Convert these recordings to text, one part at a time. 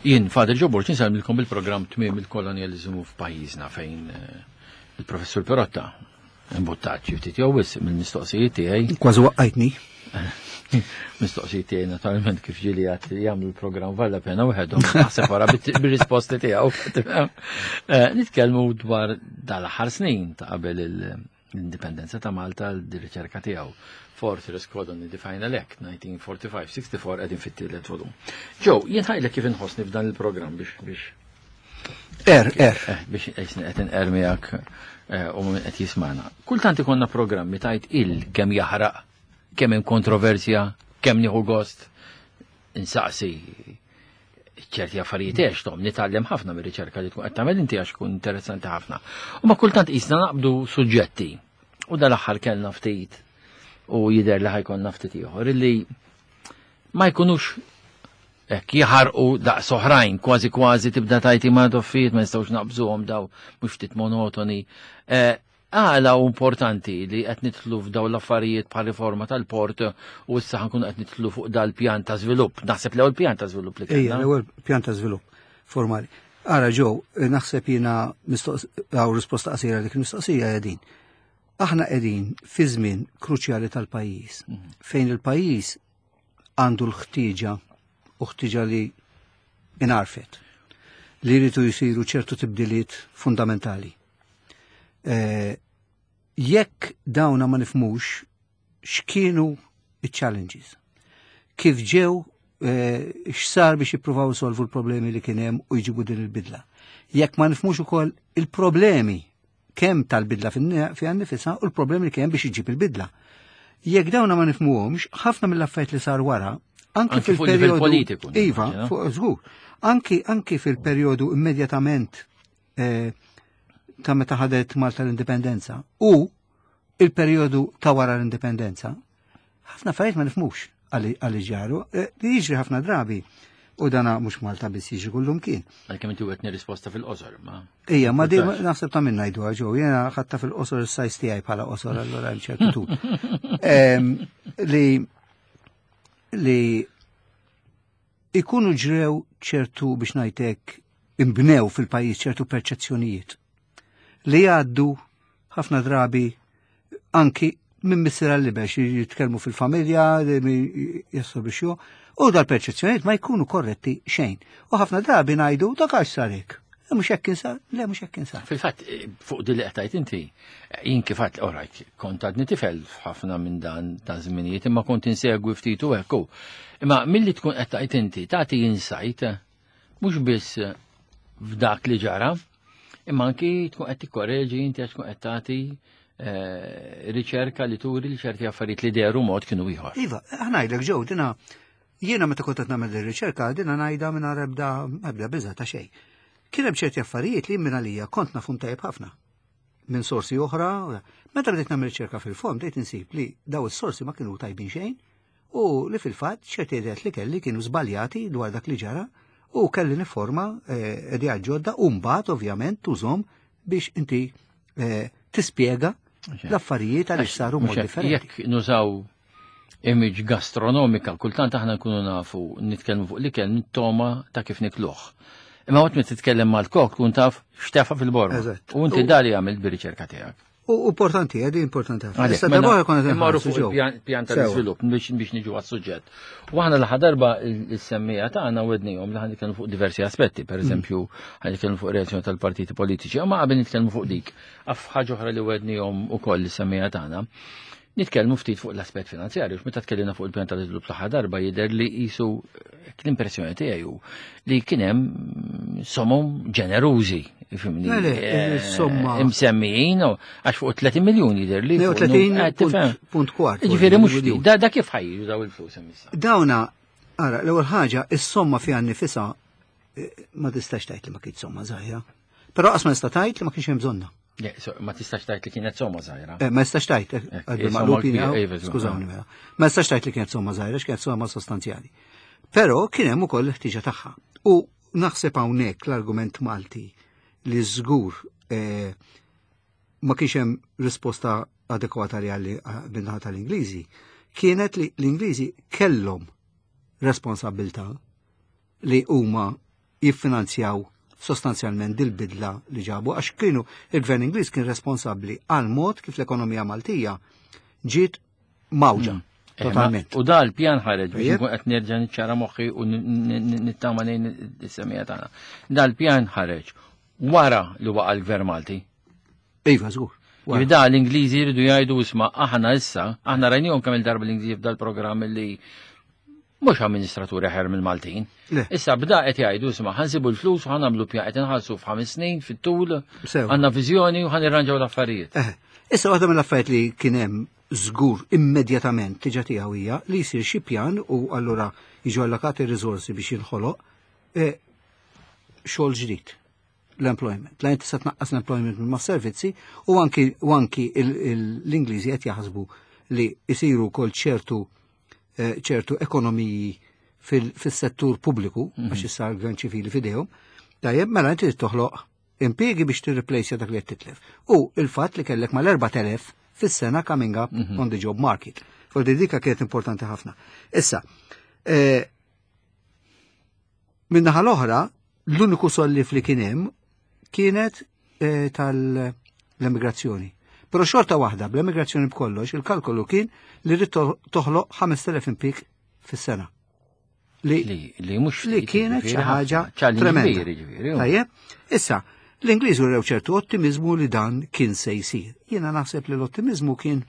Jien Father Joe Borg insellmilkom bil-programm Tmiem il-Kolonjaliżmu f'pajjiżna fejn eh, il-Professur Perotta imbuttat xi ftit jew wisq mill-mistoqsijiet tiegħi. Kważi waqqajtni. Mistoqsijiet tiegħi naturalment kif ġieli għad jagħmlu l-programm valla pena waħedhom naħseb wara bir-risposti tiegħu. Eh, nitkellmu dwar dal-aħħar snin ta' qabel l-indipendenza ta' Malta l-riċerka tiegħu. Fortress Colony the Final Act 1945-64 qegħdin fit-tielet volum. Ġew, jien ħajlek kif inħossni f'dan il-programm biex biex Er, er. Eh, biex qed inqer miegħek eh, u min qed jismana. Kultant ikollna programmi tajt il kemm jaħraq, kemm hemm kontroversja, kemm nieħu gost insaqsi ċerti affarijiet għex tom nitgħallem ħafna mir-riċerka li tkun qed tagħmel inti għax tkun interessanti ħafna. U ma kultant qisna naqbdu suġġetti. U dal-aħħar kellna ftit u jidher li ħajkonna ftit ieħor illi ma jkunux hekk jaħarqu daqs oħrajn, kważi kważi tibda tajti ma doffijiet ma nistgħux naqbżuhom daw mhux ftit monotoni. Eh, Għala hu importanti li qed nidħlu f'dawn l-affarijiet bħal riforma tal-port u issa ħankunu qed nidħlu fuq dal-pjan ta' żvilupp. Naħseb l-ewwel pjan ta' żvilupp li kellna. Ejja, l-ewwel pjan ta' żvilupp formali. Ara ġew, naħseb jiena għaw risposta qasira dik il-mistoqsija hija din. Aħna qegħdin fi żmien kruċjali tal-pajjiż mhm. fejn il-pajjiż għandu l-ħtieġa u ħtieġa li inarfet li jridu jisiru ċertu tibdiliet fundamentali. Eh, jekk dawna ma nifmux x'kienu iċ-challenges, kif ġew eh, x'sar biex jippruvaw solvu l-problemi li kien hemm u jġibu din il-bidla. Jekk ma nifmux ukoll il-problemi kemm tal-bidla fiha nifisha u l-problemi li kien biex iġib il-bidla. Jekk dawna ma nifmuhomx, ħafna mill-affarijiet li sar wara, anki fil-perjodu politiku. Iva, fuq żgur. Anki anki fil-perjodu immedjatament eh, ta' meta ħadet Malta l-indipendenza u il-perjodu ta' wara l-indipendenza, ħafna affarijiet ma nifmux għalli ġaru, eh, li jiġri ħafna drabi. U dana mhux Malta biss jiġri kullum kien. Għalkemm inti wetni risposta fil-qosor, ma. Ija, ma di naħseb ta' minna jdu ġew, jiena ħatta fil-qosor is-sajs tiegħi bħala qosor allura hemm ċertu tul. Li li ikunu ġrew ċertu biex ngħidlek imbnew fil-pajjiż ċertu perċezzjonijiet li jgħaddu ħafna drabi anki minn missier għal libex jitkellmu fil-familja, jassu biex ju, u dal-perċezzjonijiet ma jkunu korretti xejn. U ħafna drabi ngħidu dak għax sarek. Mhux hekk insar, le mhux hekk insar. Fil-fatt, eh, fuq din li qed inti, eh, jien kif għedt orajt, kont għadni tifel f'ħafna minn dan ta' żminijiet, imma kont insegwi ftit u hekk. Imma milli tkun qed tgħid inti, tagħti insight mhux biss f'dak li ġara, imma anki tkun qed tikkoreġi inti għax tkun qed tagħti eh, riċerka li turi li ċerti affarijiet li dehru mod kienu ieħor. Iva, ħnajdlek ġew dina jiena meta kont qed nagħmel ir-riċerka dina ngħidha mingħajr ebda ebda biża' ta' xejn. Kien hemm ċerti affarijiet li minn għalija kont nafhom tajjeb ħafna minn sorsi oħra. Meta bdejt nagħmel riċerka fil-fond bdejt insib li daw is-sorsi ma kienu tajbin xejn u li fil-fatt ċerti ideat li kelli kienu żbaljati dwar dak li ġara u kelli niforma eh, ideat ġodda u mbagħad ovvjament tużhom biex inti eh, tispjega l-affarijiet għaliex saru mod differenti. Jekk nużaw image gastronomika, kultant aħna nkunu nafu nitkellmu fuq l-ikel toma ta' kif nikluh. Imma waqt meta titkellem mal-kok tkun taf x'tefa fil-borma. U inti dali għamilt bir-riċerka tiegħek. U importanti, għedi importanti ħafna. Issa darba konna Immorru fuq il-pjan tal-iżvilupp biex biex niġu għas-suġġett. U aħna l darba il-semmija tagħna wednihom li ħan fuq diversi aspetti, per mm. eżempju, ħan nitkellmu fuq reazzjoni tal-partiti politiċi, ma qabel nitkellmu fuq dik. Af ħaġa oħra li wednihom ukoll is-semmija tagħna. Nitkellmu ftit fuq l-aspett finanzjarju, meta tkellimna fuq il-pjan tal-iżvilupp l-aħħar darba jidher li qisu l-impressjoni tiegħi hu li kien hemm somom ġenerużi, fimni. Eh, somma. Imsemmijin, għax fuq 30 miljun jidher li. 30 eh, punt kwart. Ġifieri mhux da, da kif ħajju daw il-flus issa. Dawna, ara, l-ewwel ħaġa, is-somma fiha nnifisha eh, ma tistax tgħid li ma kienx somma żgħira. Però qas ma nista' tgħid li ma kienx hemm bżonna. Ma tistax tajt li kienet somma żgħira. Eh, ma tistax tajt, eh, eh, skużawni mela. Ma tistax tajt li kienet somma żgħira, x'kienet somma sostanzjali. Però kien hemm ukoll l-ħtiġa tagħha. U naħseb hawnhekk l-argument Malti li żgur ma kienx hemm risposta adekwata li għalli minnaħa tal-Ingliżi, kienet li l-Ingliżi kellhom responsabilità li huma jiffinanzjaw sostanzjalment dil-bidla li ġabu għax kienu il-Gvern Ingliż kien responsabbli għal mod kif l-ekonomija Maltija ġiet mawġa. Totalment. U da l-pjan ħareġ biex nkun qed nerġa' niċċara moħħi u nittama lejn is-semija tagħna. Da l-pjan ħareġ wara li waqa' l-Gvern Malti. Iva, żgur. Da l-Ingliżi jridu jgħidu isma' aħna issa, aħna rajnihom kemm il-darba l-Ingliżi f'dal-programm li mhux amministraturi ħer mill-Maltin. Issa bda qed jgħidu isma' ħansibu l-flus u ħanagħmlu pjan qed inħallsu f'ħames snin fit-tul, għandna viżjoni u ħanirranġaw l-affarijiet. Eh, issa waħda mill-affarijiet li kien hemm żgur immedjatament tiġa tiegħu hija li jsir xi pjan u allura jiġu allokati riżorsi biex jinħoloq eh, xogħol ġdid l-employment. La inti se tnaqqas l-employment minn servizzi u anki u anki l-Ingliżi qed jaħsbu li jsiru wkoll ċertu eh, ċertu ekonomiji fis-settur pubbliku mhm. għax issa l-gvern ċivili fidejhom. Tajjeb, mela inti toħloq impjiegi biex tirreplejsja dak li qed titlef. U il-fatt li kellek mal-4000 fis-sena coming up mhm. on the job market. Fordi dika kienet importanti ħafna. Issa, eh, Min-naħa l-oħra, l-uniku sollif li kien hemm kienet eh, tal-emigrazzjoni. Però xorta waħda, bl-emigrazzjoni b'kollox, il-kalkolu kien li rrid toħloq 5,000 impik fis-sena. Li, li, mhux li kienet xi ħaġa tremenda. Tajjeb, issa, l-Ingliżi rew ċertu ottimizmu li dan kien se jsir. Jiena naħseb li l-ottimizmu kien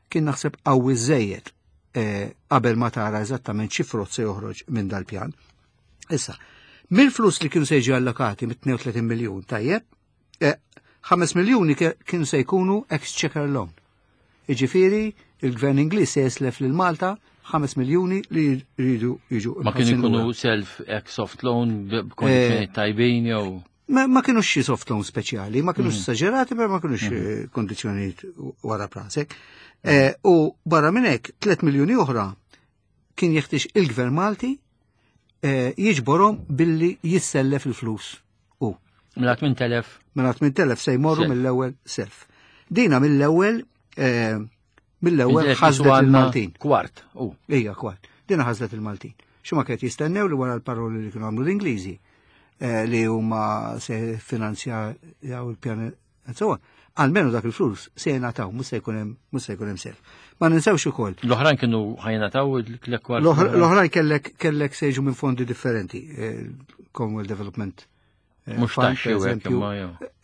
kien naħseb qawwi żejjed eh, qabel ma tara eżattament xi frott se joħroġ minn dal-pjan. Issa, mill-flus li kienu se jiġu allokati mit-32 miljun tajjeb, 5 eh, miljuni kienu se jkunu exchequer loan. Iġifieri, il-gvern Ingliż se jislef lil Malta 5 miljuni li jridu jiġu. Ma kienu jkunu self ex soft loan b'kondizzjoni eh, tajbin jew. Ma, ma kienux xi soft loan speċjali, ma kienux mm. esaġerati, però ma kienux mm. Eh, kondizzjonijiet wara prasek. Mm. Eh, u barra minn hekk 3 miljuni oħra kien jeħtieġ il-Gvern Malti eh, jiġborhom billi jissellef il-flus u. Mela 8000. Mela 8000 se jmorru mill-ewwel self. Dina mill-ewwel mill-ewwel ħasdet il-Maltin. Kwart. Ija, kwart. Dina ħasdet il-Maltin. X'ma kienet jistennew li wara l-paroli li kienu għamlu l-Ingliżi eh, li huma se finanzjaw il-pjan and so on. Almenu dak il-flus se jingħataw, mhux se jkun hemm mhux se jkun hemm self. Ma ninsewx ukoll. L-oħrajn kienu ħajnataw l-kwart. L-oħrajn kellek kellek se jiġu minn fondi differenti, eh, Commonwealth Development Eh, Mux taxxi u eżempju.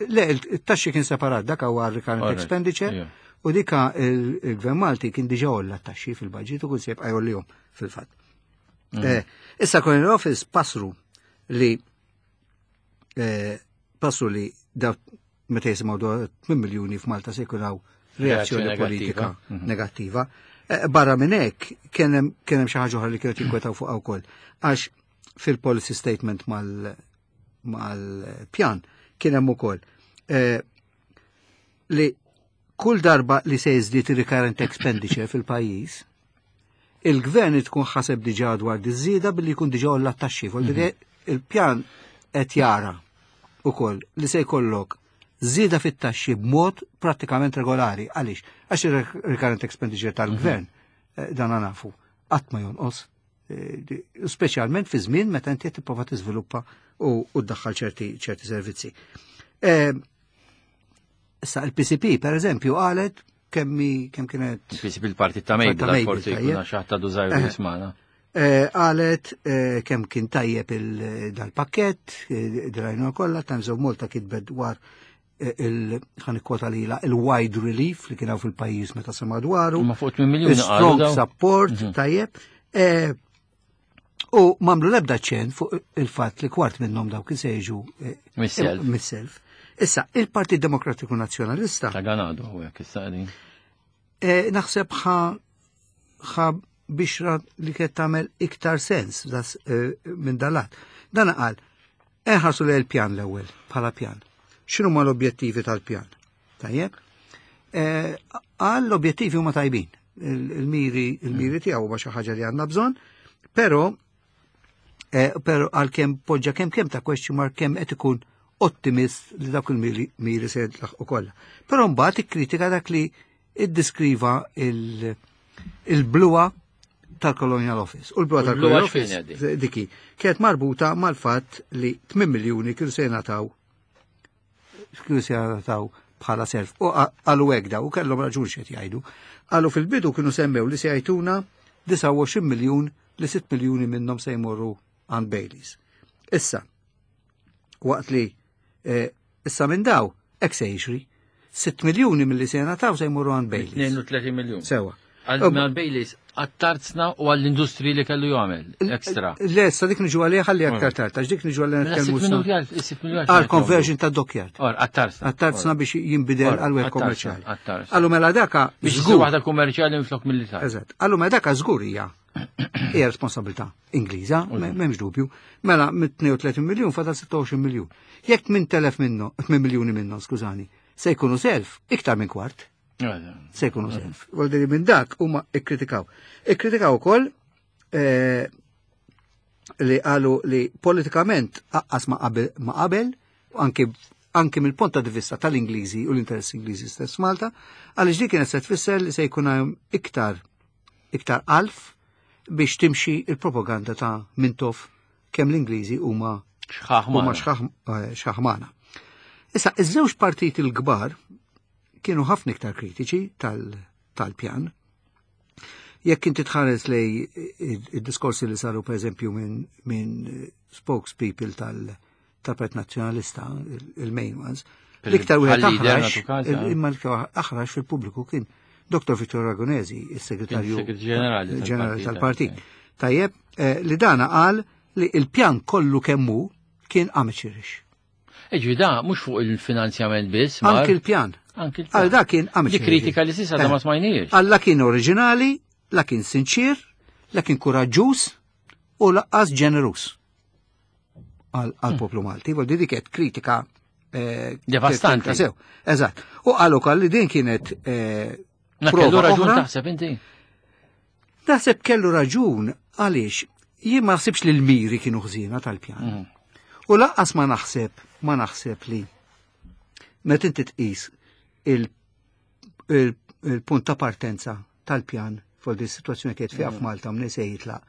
Le, il-taxxi kien separat, dak huwa recurrent expenditure, u dika il-Gvern Malti kien diġa olla taxxi fil-budget u kull se jibqa' jgħollihom fil-fatt. Eh, issa Colonial Office pasru li eh, pasru li daw meta jisimgħu dwar 8 miljuni f'Malta se jkun hawn reazzjoni politika mhm. negattiva. Barra minn hekk kien hemm xi ħaġa oħra li kienet jinkwetaw fuqha wkoll. Għax fil-policy statement mal-pjan kien hemm ukoll eh, li kull darba li se jiżdied ir-recurrent expenditure fil-pajjiż, il-gvern tkun ħaseb diġà dwar diż-żieda billi jkun diġà olla t-taxxi. Mhm. Il-pjan qed jara ukoll li se jkollok żieda fit-taxxi b'mod prattikament regolari. Għaliex? Għax il-recurrent expenditure tal-gvern, mhm. eh, dan nafu, qatt ma jonqos. Eh, speċjalment fi żmien meta inti qed tipprova tiżviluppa u ddaħħal ċerti ċerti servizzi. Eh, issa il-PCP per eżempju qalet kemmi kemm kienet. Il-PCP il-partit ta' Mejda, forsi jkun għax ta' dużajru eh, jismana. Qalet kemm kien tajjeb dal-pakket, drajna kollha, Times of Malta kitbet dwar il-ħan ikkwota lila il-wide relief li kien hawn fil-pajjiż meta sema dwaru. Ma fuq 8 miljuni Strong support, mhm. tajjeb. E, u mamlu lebda ċen fuq il-fatt li kwart minnhom dawk kien se jiġu e, mis-self. Issa, il-Partit Demokratiku Nazzjonalista. Ta' ganadu, u jek issa E, naħseb ħa ħa bixra li kienet tagħmel iktar sens minn dalat. Dan qal, Inħarsu lejn il-pjan l-ewwel bħala pjan. X'inhuma l-objettivi tal-pjan? Tajjeb? Eh, għal l-objettivi huma tajbin. Il-miri il-miri mm. tiegħu huma xi ħaġa li għandna bżonn, però eh, però għalkemm poġġa kemm kemm ta' question mark kemm qed ikun ottimist li dak il-miri se jitlaħqu kollha. Però mbagħad ikkritika dak li iddiskriva il-bluwa tal-Colonial Office. U l-bluha tal-Colonial Office diki kienet marbuta mal-fatt li 8 miljuni kienu se jingħataw kienu se jingħataw bħala self. U qalu hekk daw, u kellhom raġun x'qed jgħidu. Qalu fil-bidu kienu semmew li se jgħiduna 29 miljun li 6 miljuni minnhom se jmorru għand Baileys. Issa, waqt li eh, issa minn daw, hekk se jiġri. 6 miljuni mill-li se jingħataw se jmorru għand Baileys. 32 miljun. Sewa. Għal Baileys, għat-tarzna u għall-industri li kellu jagħmel ekstra. Le, sa dik niġu għalih ħalli aktar tard, għax dik niġu għalih Mela, nitkellmu għal conversion ta' dockyard. Or, għat-tarzna. Għat-tarzna biex jinbidel għal wieħed kommerċjali. Għat-tarzna. Allu mela daka Biex żgur waħda kummerċjali minflok militari. Eżatt. Allu mela daka żgur hija hija responsabilità Ingliża, m'hemmx dubju. Mela mit-32 miljun fadal 26 miljun. Jekk 8000 minnhom, 8 miljuni minnhom, skużani, se jkunu self iktar minn kwart. Se jkunu self. Vuol minn dak huma ikkritikaw. Ikkritikaw ukoll eh, li qalu li politikament aqqas ma qabel, anki anki mill-punt ta' vista tal-Ingliżi u l-interess Ingliżi stess Malta, għaliex dik kienet se tfisser li se jkun hemm iktar iktar alf biex timxi il-propaganda ta' Mintoff kemm l-Ingliżi huma huma xaħmana. Issa, iż-żewġ partiti l-kbar kienu ħafna iktar kritiċi tal-pjan. Jekk inti tħares lej id-diskorsi li saru per eżempju minn spokespeople tal-Partit Nazzjonalista, il-main ones, l-iktar wieħed aħrax, imma l-iktar aħrax fil-pubbliku kien Dr. Vittorio Ragonesi, il-segretarju ġenerali tal-partit. Tajjeb, eh, li dana qal li il-pjan kollu kemmu kien amateurish. Iġvi da, mux fuq il-finanzjament biss. Anki il-pjan. Anki il-pjan. Għal da kien amateurish. Di kritika li sissa da ma eh. smajniex. Alla kien oriġinali, la kien sinċir, la kien kuraġġuż u laqqas ġenerus għal poplu Malti. Vol di kienet kritika eh, devastanti. Sew, eżatt. U qalu ukoll li din kienet eh, kellu raġun taħseb inti? Naħseb kellu raġun għaliex jien ma naħsibx li l-miri kienu ħżiena tal-pjan. U laqqas ma naħseb, ma naħseb li meta inti tqis il-punt ta' partenza tal-pjan fuq di situazzjoni kienet fiha f'Malta minn se jitlaq,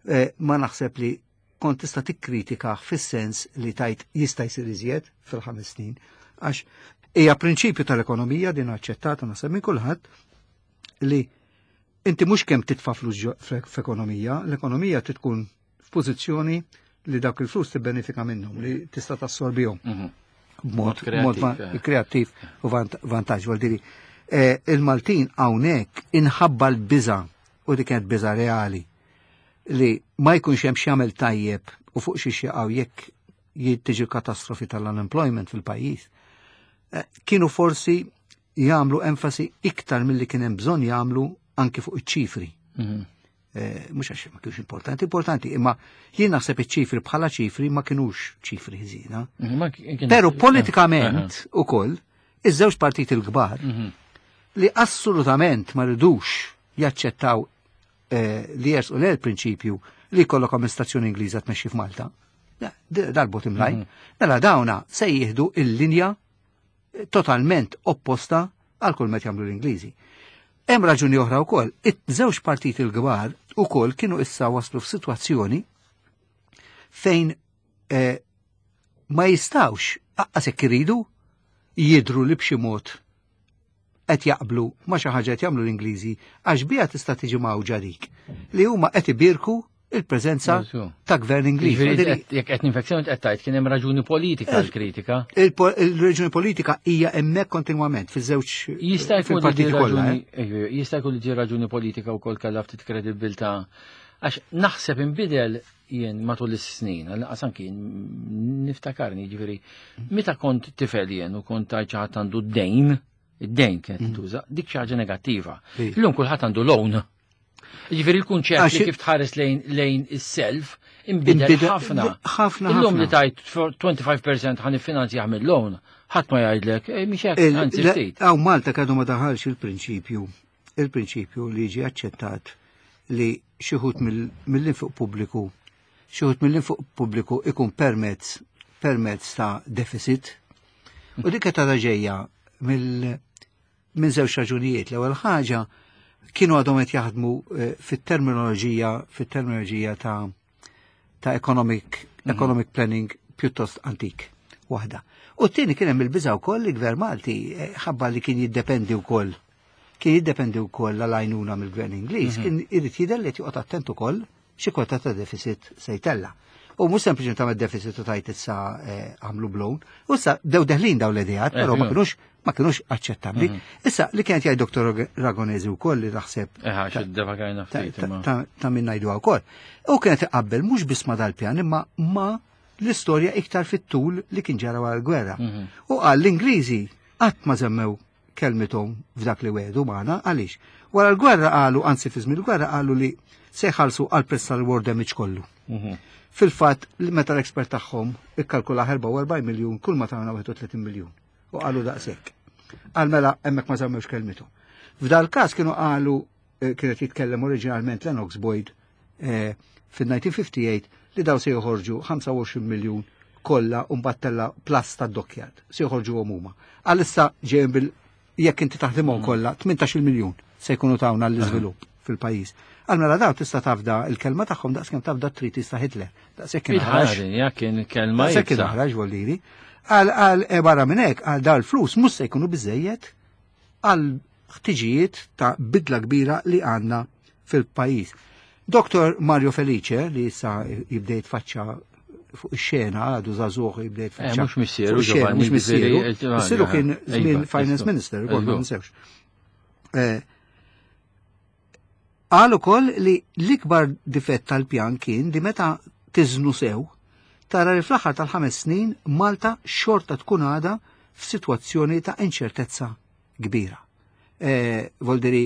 eh, ma naħseb li kont tista' tikkritika fis-sens li tajt jista' jsir iżjed fil-5 snin għax hija prinċipju tal-ekonomija din aċċettata naħseb minn kulħadd li inti mhux kemm titfa' flus f'ekonomija, l-ekonomija tkun f'pożizzjoni li dawk il-flus tibbenefika minnhom, li tista' tassorbihom. B'mod kreattiv u vantaġġ. Vuol dire, eh, il-Maltin hawnhekk inħabba l-biża' u dik kienet biża' reali li ma jkunx hemm x'jagħmel tajjeb u fuq xi jaqgħu jekk jittiġi katastrofi tal-unemployment fil-pajjiż. Eh, kienu forsi jagħmlu enfasi iktar milli kien hemm bżonn jagħmlu anki fuq iċ-ċifri. Eh, mhux għax ma kienux importanti, importanti, imma jien naħseb iċ-ċifri bħala ċifri ma kienux ċifri ħżiena. Però politikament ukoll iż-żewġ partiti l-kbar li assolutament ma ridux jaċċettaw eh, li jersqu l prinċipju li jkollok amministrazzjoni Ingliża tmexxi f'Malta. Dal-bottom line. Mela dawna se jieħdu il-linja totalment opposta għal kull met jagħmlu l-Ingliżi. Hemm raġuni oħra wkoll, iż-żewġ partiti l-kbar ukoll kienu issa waslu f'sitwazzjoni fejn eh, ma jistawx aqqas jekk iridu jidru li b'xi mod qed jaqblu ma xi ħaġa qed jagħmlu l-Ingliżi għax biha tista' tiġi mawġa dik li huma qed ibirku il-preżenza ta' gvern Ingliż. Jekk qed ninfezzjoni qed tgħid kien hemm raġuni politika l-kritika. Il-raġuni politika hija hemmhekk kontinwament fiż-żewġ Jista' jkun li raġuni eh. jista' jkun li raġuni politika wkoll kellha ftit kredibilità għax naħseb inbidel jien matul is-snin, għal anki niftakarni ġifieri, meta kont tifel jien u kont tgħid xi ħadd għandu d-dejn, id-dejn kienet tintuża, dik xi ħaġa negattiva. Illum kulħadd għandu loan. Ġifieri il-kunċett li kif tħares lejn is-self inbidel ħafna. Ħafna. Illum li tajt 25% ħa niffinanzjah mill-loan, ħadd ma jgħidlek, eh, mhix hekk, anzi ftit. Hawn Malta kadu ma daħalx il-prinċipju, il-prinċipju li ġie aċċettat li xi wħud mill-infiq pubbliku, xi wħud mill-infiq pubbliku ikun permezz ta' deficit. U dik qed ġejja minn żewġ raġunijiet. L-ewwel ħaġa Kienu għadhom qed jaħdmu fit-terminoloġija ta' economic planning pjuttost antik waħda. U t-tieni kien hemm il-biża' wkoll li gvern Malti ħabba li kien jiddependi wkoll għal-għajnuna mill-gvern Ingliż, kien irid jidher li qed joqgħod attent ukoll xi kwota ta' deficit se jtella. U mhux sempliċement tagħmel deficit u tajt issa għamlu blown. U issa dew deħlin daw l-ideat, però ma kinux aċċettabbli. Issa li kienet jgħid Dr. Ragonesi wkoll li naħseb Xi ftit ta' min ngħidu wkoll. U kienet iqabbel mhux biss ma dal-pjan imma ma l-istorja iktar fit-tul li kien ġara wara l-gwerra. U qal l-Ingliżi qatt ma żammew kelmithom f'dak li wedu magħna għaliex. Wara l-gwerra qalu, anzi fi żmien il-gwerra qalu li se jħallsu għal prezz tal-war damage kollu. Fil-fatt, meta l-expert tagħhom ikkalkula 44 miljun, kull ma tagħna 31 miljun. U qalu daqshekk. Għal mela hemmhekk ma żammewx kelmithom. F'dal każ kienu qalu kienet jitkellem oriġinalment Lennox Boyd fil-1958 li daw se joħorġu 25 miljun kollha u mbagħad tella plus ta' dockyard se joħorġu huma. Għalissa ġejjin bil jekk inti taħdimhom kollha 18 miljun se jkunu tawna l-iżvilupp fil-pajjiż. Għal mela daw tista' tafda il-kelma tagħhom daqskemm tafda treaties ta' Hitler. Daqshekk kien aħrax. Il-ħaġa kien kelma Daqshekk kien iebsa. aħrax voldiri. Għal barra minn hekk għal daw l-flus mhux se jkunu biżejjed għal ħtiġijiet ta' bidla kbira li għandna fil-pajjiż. Dr. Mario Felice, li issa jibda jitfaċċa fuq ix-xena, għadu żagħżugħ jibda jitfaċċa. Mhux missieru, fuq ix-xena, Giovanni, mhux missieru. ġifieri, Missieru kien żmien Finance Minister, ukoll ma ninsewx. Qal ukoll li l-ikbar difett tal-pjan kien li meta tiżnu sew, tara li fl-aħħar tal-5 snin Malta xorta tkun għada f'sitwazzjoni ta' inċertezza kbira. Voldiri,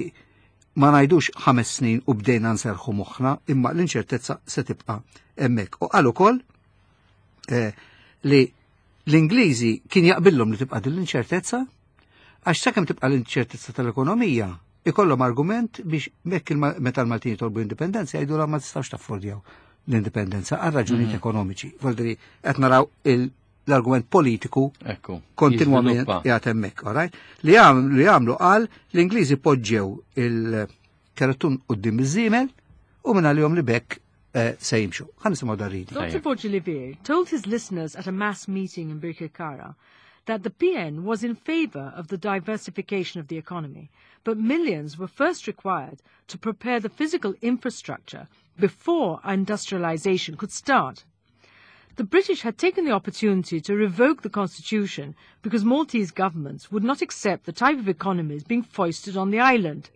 ma ngħidux 5 snin u bdejna nserħu moħħna, imma l-inċertezza se tibqa' hemmhekk. U qal ukoll li l-Ingliżi kien jaqbillhom li tibqa' din l-inċertezza, għax sakemm tibqa' l-inċertezza tal-ekonomija, ikollhom argument biex mekk meta l-Maltin jitolbu indipendenza jgħidu la ma tistgħux taffordjaw l-indipendenza għal raġunijiet ekonomiċi. Voldiri, qed naraw l-argument politiku kontinwament Jiżviluppa. jgħat hemmhekk, all right? Li għamlu qal l-Ingliżi poġġew il-kertun quddiem iż-żiemel u minn għalihom li bekk se jimxu. Ħa nisimgħu dar-reading. Dr. Borg Olivier told his listeners at a mass meeting in Birkirkara that the PN was in favour of the diversification of the economy, but millions were first required to prepare the physical infrastructure before industrialisation could start. The British had taken the opportunity to revoke the constitution because Maltese governments would not accept the type of economies being foisted on the island.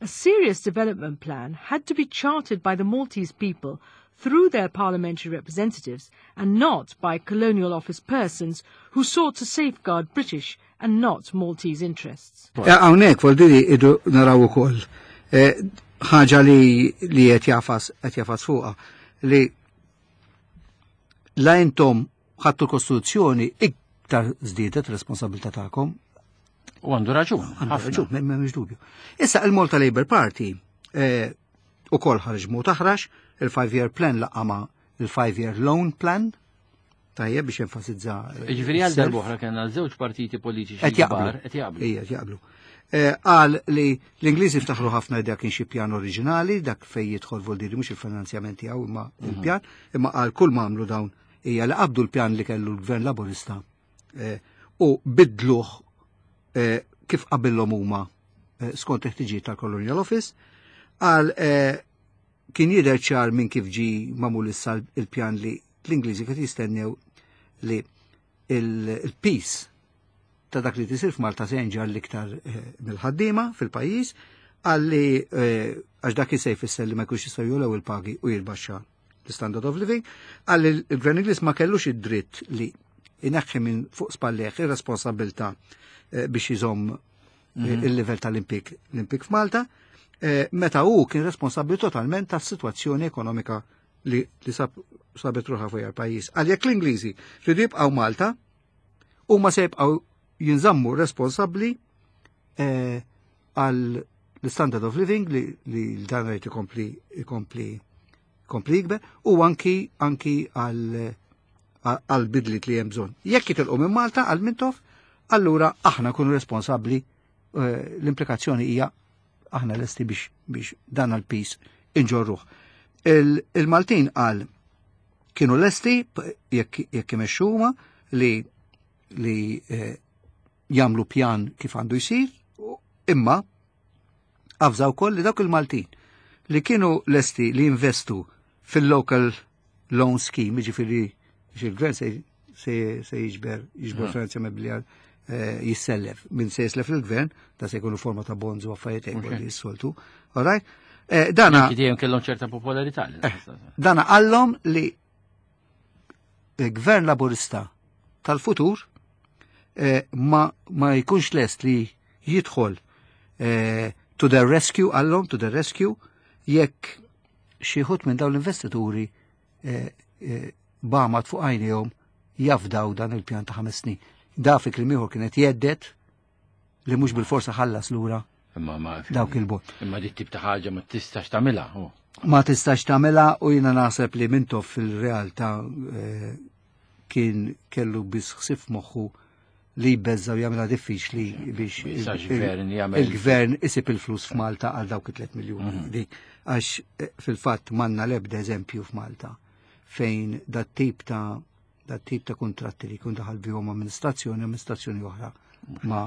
A serious development plan had to be charted by the Maltese people through their parliamentary representatives and not by colonial office persons who sought to safeguard British and not Maltese interests. Hawnhekk voldiri idu naraw ukoll ħaġa li qed jagħfas fuqha li la intom ħadtu l-Kostituzzjoni iktar żdiedet responsabilità tagħkom. U għandu raġun. Għandu ħafna. raġun, m'hemmx dubju. Issa il-Malta Labour Party ukoll ħareġ mod aħrax, il-five-year plan laqama il-five-year loan plan, tajjeb biex enfasizza Ġifieri għal self. darb'oħra kellna żewġ partiti politiċi Qed jaqblu. kbar qed jaqblu. Ija, qed jaqblu. Qal li l-Ingliżi ftaħru ħafna dak kien xi pjan oriġinali, dak fej jidħol voldiri mhux il-finanzjament tiegħu imma il-pjan, imma qal kull ma għamlu dawn hija li qabdu l-pjan li kellu l-Gvern Laburista u bidluh kif qabillhom huma skont il-ħtiġijiet tal-Colonial Office. Qal kien jidher ċar minn kif ġi magħmul issa il-pjan li l-Ingliżi kif jistennew li il-peace ta' dak li tisir f'Malta se jinġar l-iktar mill-ħaddiema fil-pajjiż, għalli għax dak se jfisser li ma jkunx jistgħu jogħlew il-pagi u jitbaxxa l-standard of living, għalli l-Gvern Ingliż ma kellux id-dritt li ineħħi minn fuq spallejh ir-responsabilità biex iżomm il-livell tal-impjieg f'Malta, meta hu kien responsabbli totalment tas-sitwazzjoni ekonomika li sabet ruħha fuq il-pajjiż. Għal jekk l-Ingliżi ridu jibqgħu Malta, huma se jibqgħu jinżammu responsabbli għal l-standard of living li dan rajt ikompli jikber u anki għal bidliet li hemm bżonn. Jekk jitilqu minn Malta għal Mintoff, allura aħna kunu responsabbli, l-implikazzjoni hija Aħna lesti biex dan għal-pis inġorruh. Il-Maltin qal kienu lesti jekk imexxuhuma li jagħmlu pjan kif għandu jsir, imma avżaw wkoll li dawk il-Maltin li kienu lesti li jinvestu fil-local loan scheme, jiġifieri biex il-gvern se jiġbor finanzjament billi jissellef. Min se jislef il-gvern, da se jkunu forma ta' bonds u affarijiet hekk li jissoltu. All right? Dana Dejjem kellhom ċerta popolarità. Dana qallhom li il-gvern laburista tal-futur ma jkunx lest li jidħol to the rescue, qallhom to the rescue, jekk xi ħut minn dawn l-investituri b'għamad fuq għajnejhom jafdaw dan il-pjan ta' 5 snin. Da fi kliem ieħor kienet jgħedded li mhux bil-forsa ħallas lura Imma ma dawk il-bot. Imma dit tip ta' ħaġa ma tistax tagħmilha. Oh. Ma tistax tagħmilha u jiena naħseb li Mintoff fil-realtà kien kellu biss ħsieb moħħu li jbeżża u jagħmilha diffiċli biex Jistax gvern jagħmel- il-gvern isib il-flus f'Malta għal dawk it-3 miljuni. Dik għax fil-fatt m'għandna l-ebda eżempju f'Malta fejn dat tip ta' kontratti li jkun daħal bihom amministrazzjoni oħra ma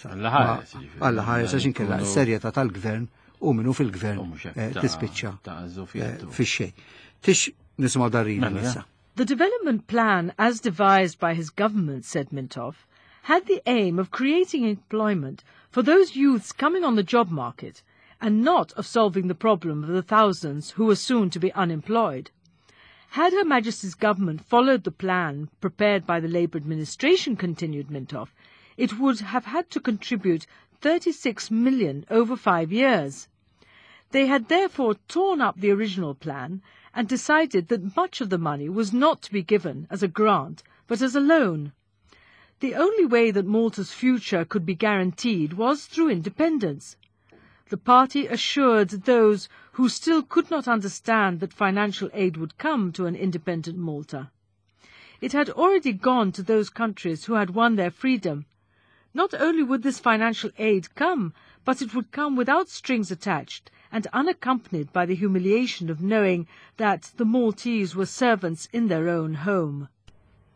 Alla ħares, jiġifieri. Alla ħares, għax inkella Ikunu- s-serjetà tal-gvern u minnu fil-gvern U mhux hekk tispiċċa ta' żufjettu. fix-xejn. Tix nisimgħu Darina Mela, issa. The development plan, as devised by his government, said Mintoff, had the aim of creating employment for those youths coming on the job market and not of solving the problem of the thousands who were soon to be unemployed. Had Her Majesty's government followed the plan prepared by the Labour administration, continued Mintoff, it would have had to contribute 36 million over 5 years. They had therefore torn up the original plan and decided that much of the money was not to be given as a grant, but as a loan. The only way that Malta's future could be guaranteed was through independence. The party assured those who still could not understand that financial aid would come to an independent Malta. It had already gone to those countries who had won their freedom. Not only would this financial aid come, but it would come without strings attached and unaccompanied by the humiliation of knowing that the Maltese were servants in their own home.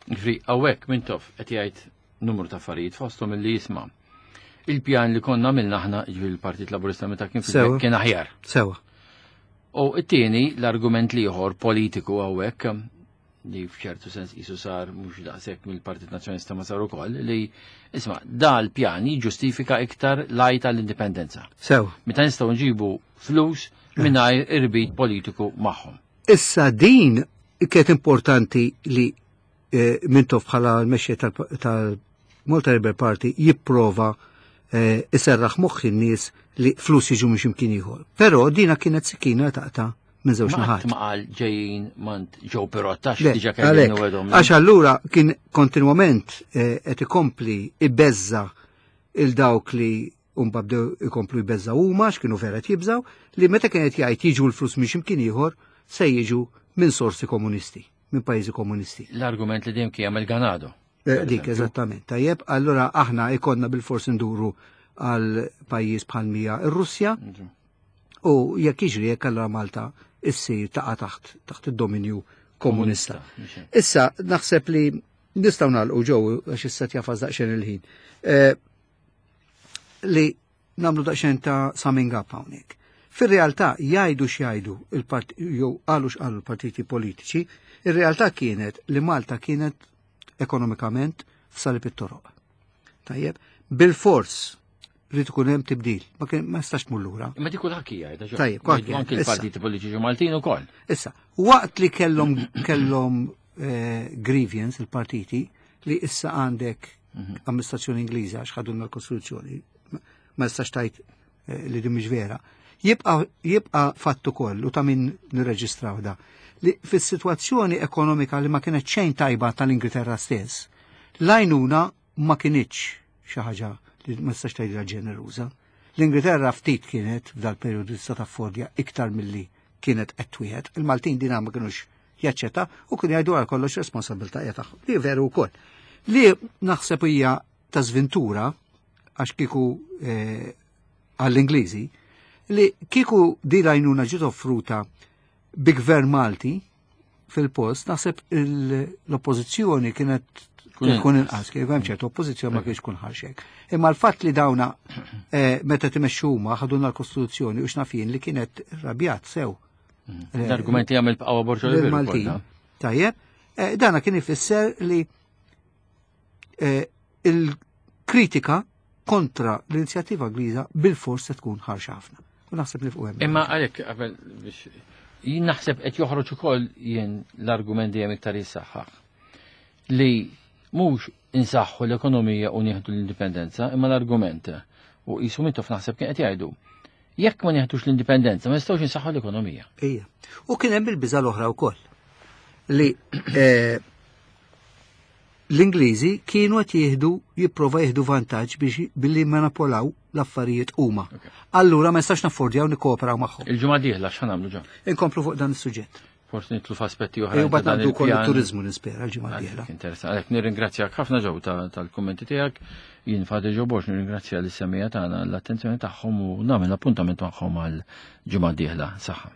Ġifieri, hawnhekk Mintoff qed jgħid numru ta' affarijiet fosthom illi jisma'. Il-pjan li konna għamilna aħna, ġifieri l-Partit Laburista meta kien fil kien aħjar. U it-tieni l-argument l-ieħor politiku hawnhekk li f'ċertu sens jisu sar mhux daqshekk mill-Partit Nazzjonalista ma sar ukoll li isma' da l-pjan jiġġustifika iktar l-għajta l-indipendenza. Meta nistgħu nġibu flus mingħajr irbit politiku magħhom. Issa din kienet importanti li Mintoff bħala l-mexxej tal-Malta Labour Party jipprova iserraħ moħħ in-nies li flus jiġu minn x'imkien ieħor. Però dina kienet sikkina taqta' minn żewġ Ma naħat. qatt ma qal ġejjin mant Joe Pirotta Le, diġà kelli għalhekk, nwedhom. għax allura kien kontinwament qed ikompli ibeżza il dawk li umba bdew ikomplu jbeżżaw huma x'kienu vera qed jibżaw li meta kienet jgħid jiġu l-flus minn x'imkien ieħor se jiġu minn sorsi komunisti, minn pajjiżi komunisti. L-argument li dejjem kien jagħmel Ganado. Dik, eżattament. Tajjeb, allura aħna ikonna bil-fors nduru għal pajjiż bħal mija ir-Russja u jekk jiġri jekk allura Malta issir taqa' taħt id-dominju komunista. Issa naħseb li nistgħu nagħlqu ġew għax issa tjafas daqsxejn il-ħin. Li nagħmlu daqsxejn ta' summing up hawnhekk. Fir-realtà jgħidu x'jgħidu jew qalu x'qalu l-partiti politiċi, ir-realtà kienet li Malta kienet ekonomikament f'salib it-toroq. Tajjeb, bil-fors rrid ikun hemm tibdil, ma jistax tmur lura. Imma dik kulħadd jgħid. Tajjeb, kulħadd Anke jgħid. l-partiti politiċi Maltin ukoll. Issa, waqt li kellhom grievance il-partiti li issa għandek amministrazzjoni Ingliża għax ħadulna l-Kostituzzjoni, ma jistax tajt li din mhix vera. Jibqa fatt ukoll u ta' min nirreġistraw da li fis-sitwazzjoni ekonomika li ma kienet xejn tajba tal-Ingilterra stess, l-għajnuna ma kinitx xi ħaġa li ma tistax tgħidilha ġeneruża. L-Ingilterra ftit kienet f'dal perjodu tista' taffordja iktar milli kienet qed twieħed. Il-Maltin dina ma kinux jaċċetta u kienu jgħidu għal kollox responsabilità hija tagħhom. Li veru wkoll. Li naħseb hija ta' sventura għax kieku għall-Ingliżi Li kieku di l-għajnuna ġiet offruta bi gvern Malti fil-post, naħseb l-oppożizzjoni kienet tkun inqas, kif hemm ċertu oppożizzjoni ma kienx tkun ħarxek. Imma l-fatt li dawna eh, meta timexxu huma ħaduna l-Kostituzzjoni u xnafin li kienet rabjat sew. Mm. Eh, L-argument li għamil bqgħu Borġo Maltin. Tajjeb, eh, dana kien ifisser li il-kritika kontra l-inizjattiva Ingliża bil-fors se tkun ħarxa ħafna. U naħseb li fuq hemm. Imma għalhekk qabel biex jien naħseb qed joħroġ ukoll jien l-argument dejjem iktar jissaħħaħ li mhux insaħħu l-ekonomija u nieħdu l-indipendenza, imma l-argument u qisu Mintoff naħseb kien qed jgħidu jekk ma nieħdux l-indipendenza ma nistgħux insaħħu l-ekonomija. Ija. U kien hemm il-biża l-oħra wkoll li eh, L-Ingliżi kienu qed jieħdu jipprova jieħdu vantaġġ biex billi manipolaw l-affarijiet huma. Allura ma nistax naffordjaw nikkooperaw magħhom. Il-ġimgħa dieħla x'ħa nagħmlu ġa? Inkomplu fuq dan is-suġġett. Forsi nitlu f'aspetti oħra. Ejju bad nagħmlu wkoll it-turiżmu nispera l-ġimgħa dieħla. Interessant. Għalhekk nirringrazzjak ħafna ġew tal-kummenti tiegħek. Jien Fadi Ġo Borg nirringrazzja lis-semija tagħna l-attenzjoni tagħhom u nagħmel appuntament magħhom għal ġimgħa dieħla. Saħħa.